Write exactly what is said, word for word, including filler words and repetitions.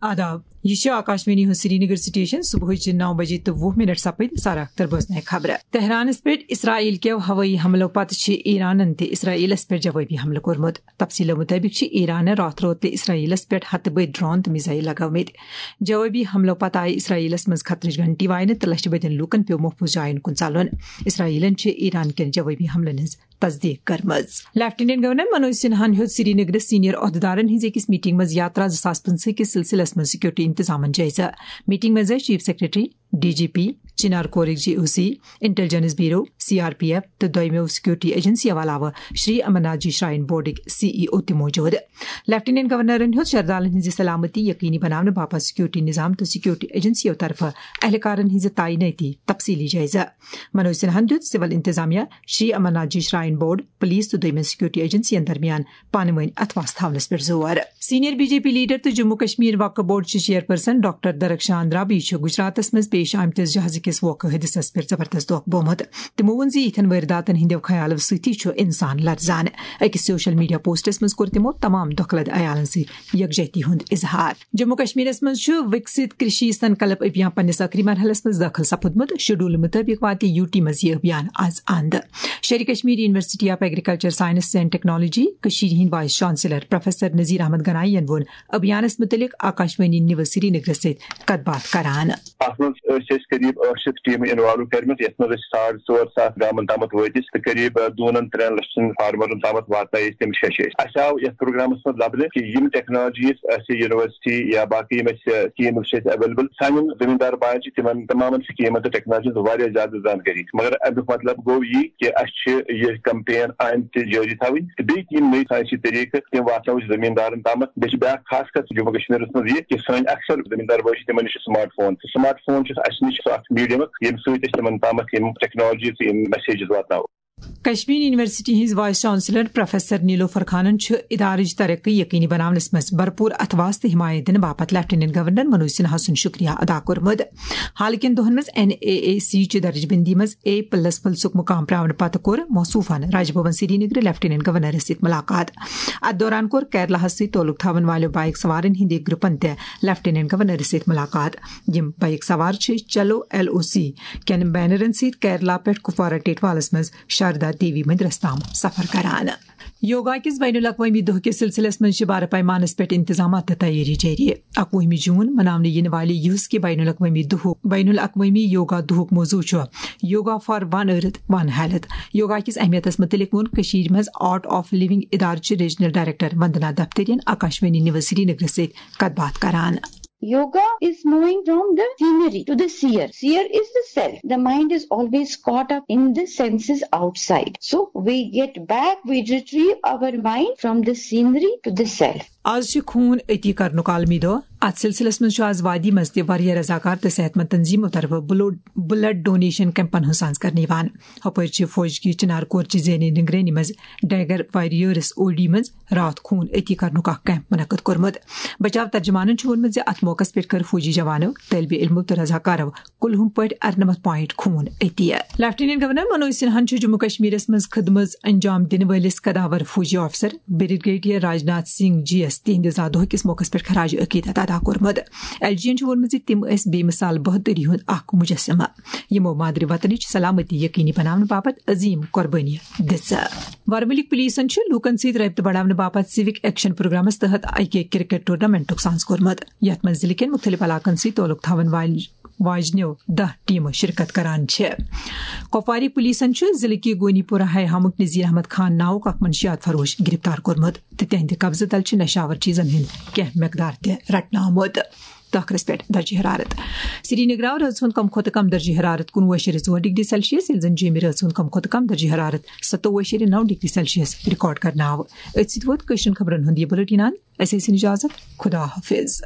آداب، یہِ چھِ آکاشوانی ہُنٛد سرینگر سٹیشن۔ صبحٕچہِ نو بجے تہٕ وُہ منٹ سپٕدۍ۔ سارا اختر بوزنٲے خبرٕ۔ تہرانس پٮ۪ٹھ اسرائیل کٮ۪و ہوٲیی حملو پتہٕ چھِ ایرانن تہِ اسرائیلس پٮ۪ٹھ جوابی حملہٕ کوٚرمُت۔ تفصیلو مطٲبق چھِ ایرانن راتھ روتلہِ اسرائیلس پٮ۪ٹھ ہتہٕ بٔدۍ ڈرون تہٕ میزائل لگٲومٕتۍ۔ جوابی حملو پتہٕ آیہِ اسرائیلس منٛز خطرٕچ گھنٹی واینہٕ تہٕ لچھِ بٔدٮ۪ن لوٗکن پیوٚو محفوظ جاین کُن ژلُن۔ اسرائیلن چھِ ایران کٮ۪ن جوابی حملن ہٕنٛز تصدیق کٔرمٕژ۔ لیفٹیننٹ گورنر منوج سنہاہن ہیوٚت سرینگرس سینئر عہدیدارن ہٕنٛزِ أکِس میٹنگ منٛز یاترا زٕ ساس پٕنٛژٕہ کِس سلسلس منٛز سیکورٹی انتظامن جٲیزٕ۔ میٹنگ منٛز ٲسۍ chief secretary, D G P, Chinar کورٕکۍ G O C, intelligence bureau, C R P F تہٕ دویمو سیکورٹی ایجنسیو علاوٕ شری امرناتھ جی شراین بورڈٕکۍ سی ای او تہِ موجود۔ لیفٹیننٹ گورنرن ہیوٚت شردالن ہٕنٛزِ سلامتی یقینی بناونہٕ باپتھ سیکورٹی نظام تہٕ سیکورٹی ایجنسیو طرفہٕ اہلکارن ہٕنٛزِ تعینٲتی تفصیلی جٲیزٕ۔ منوج سنہاہن دیُت سول انتظامیہ، Shri Amarnath ji shrine board, police تہٕ دویمٮ۪ن سیکورٹی ایجنسین درمیان پانہٕ وٲنۍ اتھواس تھاونس پٮ۪ٹھ زور۔ Senior B J P leader تہٕ جموں کشمیر وقف بورڈ چہِ چیئرپرسن ڈاکٹر درخشان رابی چھُ گجراتس منٛز پیش آمتِس جہازٕ کِس ووکھٕ حٲدثس پٮ۪ٹھ زبردست دۄکھ بوٚومُت۔ تِمو ووٚن زِ یِتھٮ۪ن وٲرداتن ہٕنٛدیو خیالو سۭتی چھُ انسان لرزان۔ أکِس سوشل میڈیا پوسٹس منٛز کوٚر تِمو تمام دۄکھٕ لد عیالن سۭتۍ یکجہتی ہُنٛد اظہار۔ جموں کشمیرس منٛز چھُ وِکسِت کرشی سنکلپ ابھیان پننِس ٲخری مرحلس منٛز دٲخل سپُدمُت۔ شیڈول مُطٲبِق واتہِ یو ٹی منٛز یہِ ابھیان از اند۔ Sher-i Kashmir university of agriculture science and technology کشیرِ ہٕنٛدۍ vice chancellor professor Nazir Ahmad Ganai ین ووٚن ابھیانس مُتعلق آکاشوانی نیوز سرینگرس سۭتۍ کتھ باتھ کران۔ اتھ منٛز ٲسۍ أسۍ قریب ٲٹھ شیٚتھ ٹیمہٕ انوالو کٔرمٕژ، یتھ منٛز أسۍ ساڑ ژور ساس گامن تامتھ وٲتۍ أسۍ تہٕ قریب، آ، دوٗنن ترٛٮ۪ن لچھن فارمرن تامتھ واتنٲے أسۍ تِم شیٚش أسۍ۔ اسہِ آو یتھ پروگرامس منٛز لبنہٕ کہِ یِم ٹیکنالوجیز اسہِ یونیورسٹی یا باقٕے یِم اسہِ، آ، سکیٖمز چھِ اسہِ اویلیبل، سانٮ۪ن زٔمیٖندار باین چھِ تِمن تمامن سکیٖمن تہٕ ٹیکنالوجین واریاہ زیادٕ زانکٲری۔ مگر امیُک مطلب گوٚو یی کہِ اسہِ چھِ یہِ کمپین آیندٕ تہِ جٲری تھاوٕنۍ تہٕ بیٚیہِ تہِ یِم نٔے ساینسی طریقہٕ تِم واتناوو أسۍ زٔمیٖندارن تامتھ۔ بیٚیہِ چھِ بیٛاکھ خاص کتھ جموں کشمیرس منٛز یہِ کہِ سٲنۍ اکثر زٔمیٖندار بٲے چھِ، تِمن نِش چھُ سمارٹ فون۔ تہٕ سمارٹ فون چھُ اسہِ نِش سُہ اکھ میڈیمک، ییٚمہِ سۭتۍ أسۍ تِمن تامتھ یِم ٹیکنالوجیز تہٕ یِم میسیجز واتناوو۔ کشمیر یونیورسٹی ہٕنٛز وائس چانسلر پروفیسر نیلوفر خانن چھُ ادارٕچ ترقی یقینی بناونس منٛز بھرپور اتھواس تہٕ حمایت دِنہٕ باپتھ لیفٹیننٹ گورنر منوج سنہا سُنٛد شکریہ ادا کوٚرمُت۔ حال کٮ۪ن دۄہن منٛز این اے اے سی چہِ درجہ بندی منٛز اے پلس پلسُک مقام پراونہٕ پتہٕ کوٚر موصوفن راج بھون سرینگر لیفٹیننٹ گورنرس سۭتۍ ملاقات۔ اتھ دوران کوٚر کیرلاہس سۭتۍ تعلق تھاون والٮ۪و بائیک سوارن ہٕنٛدِ گروپن تہِ لیفٹیننٹ گورنرس سۭتۍ ملاقات۔ یِم بائیک سوار چھِ چلو ایل او سی کٮ۪ن بینرن سۭتۍ کیرلا پٮ۪ٹھ کپوارہ ٹیٹوالس منٛز شاردا دیوی مندرس تام سفر کران۔ یوگا کِس بین الاقوٲمی دۄہ کِس سلسلس منٛز چھِ بارٕ پیمانس پٮ۪ٹھ انتظامات تہٕ تیٲری جٲری۔ اَکوُہمہِ جوٗن مناونہٕ یِنہٕ والہِ یُس کہِ بین الاقوٲمی دۄہُک، بین الاقوٲمی یوگا دۄہُک موضوع چھُ yoga for one earth one health. Yoga کِس اہمیتس مُتعلق ووٚن کٔشیٖرِ منٛز آرٹ آف لونگ ادارٕ چہِ ریجنل ڈائریکٹر وندنا دفتریَن آکاشوانی نیوز سرینگرس سۭتۍ کتھ باتھ کران۔ Yoga is moving from the scenery to the seer. Seer is the self. The mind is always caught up in the senses outside. So we get back, we retrieve our mind from the scenery to the self. آز چھِ خوٗن عطیہ کرنُک عالمی دۄہ۔ اتھ سلسلس منٛز چھُ آز وادی منٛز تہِ واریاہ رضاکار تہٕ صحت مند تنظیمو طرفہٕ بلڈ، بلڈ ڈونیشن کیمپن ہٕنٛز سانز کرنہٕ یِوان۔ ہۄپٲرۍ چھِ فوج کی چنار کور چہِ ذہنی نگرٲنی منٛز ڈیگر وارریئرس او ڈی منٛز راتھ خوٗن عطیہ کرنُک اکھ کیمپ منعقد کوٚرمُت۔ بچاو ترجمانن چھُ ووٚنمُت زِ اتھ موقعس پٮ۪ٹھ کٔر فوجی جوانو، طٲلبِ علمو تہٕ رضاکارو کُلہُم پٲٹھۍ ارنمتھ پوائنٹ خوٗن عطیہ۔ لیفٹیننٹ گورنر منوج سنہاہن چھُ جموں کشمیرس منٛز خدمژ انجام دِنہٕ وٲلِس قداور فوجی آفیسر بریگیڈیئر راجناتھ سنگھ جی یس تِہنٛدِ زا دۄہ کِس موقعس پٮ۪ٹھ خراج عقیدت ادا کوٚرمُت۔ ایل جی ین چھُ ووٚنمُت زِ تِم ٲسۍ بے مثال بہادری ہُنٛد اکھ مجسمہ، یِمو مادری وطنٕچ سلامتی یقینی بناونہٕ باپتھ عظیم قربٲنی دِژ۔ ورمُلٕکۍ پولیسن چھُ لوٗکن سۭتۍ رٲبطہٕ بڑاونہٕ باپتھ سِوک ایکشن پروگرامس تحت اکہِ کرکٹ ٹورنامنٹُک سانز کوٚرمُت، یتھ منٛز ضلعہٕ کٮ۪ن مُختٔلِف علاقن سۭتۍ تعلق تھاون والہِ واجنیو دَہ ٹیمہٕ شرکت کران چھِ۔ کپوارٕکۍ پولیسن چھُ ضلعہٕ کہِ گونی پورہ ہاے ہامُک نذیر احمد خان ناوُک اکھ منشیات فروش گرفتار کوٚرمُت تہٕ تِہنٛدِ قبضہٕ تل چھِ نشاور چیزن ہُنٛد کینٛہہ مقدار تہِ رٹنہٕ آمُت۔ ٲخرس پٮ۪ٹھ درجہ حرارت۔ سرینگرٕ آو رٲژ ہُنٛد کم کھۄتہٕ کم درجہ حرارت کُنوُہ اعشاریہ ژور ڈگری سیلسیس، ییٚلہِ زن جیٚمہِ رٲژ ہُنٛد کم کھۄتہٕ کم درجہ حرارت ستووُہ اعشاریہ نو ڈگری سیلسیس ریکارڈ کرنہٕ آو۔ أتھۍ سۭتۍ ووت کٲشرٮ۪ن خبرن ہُنٛد یہِ بُلیٹن اند۔ اَسہِ ٲسِن اجازت۔ خدا حافظ۔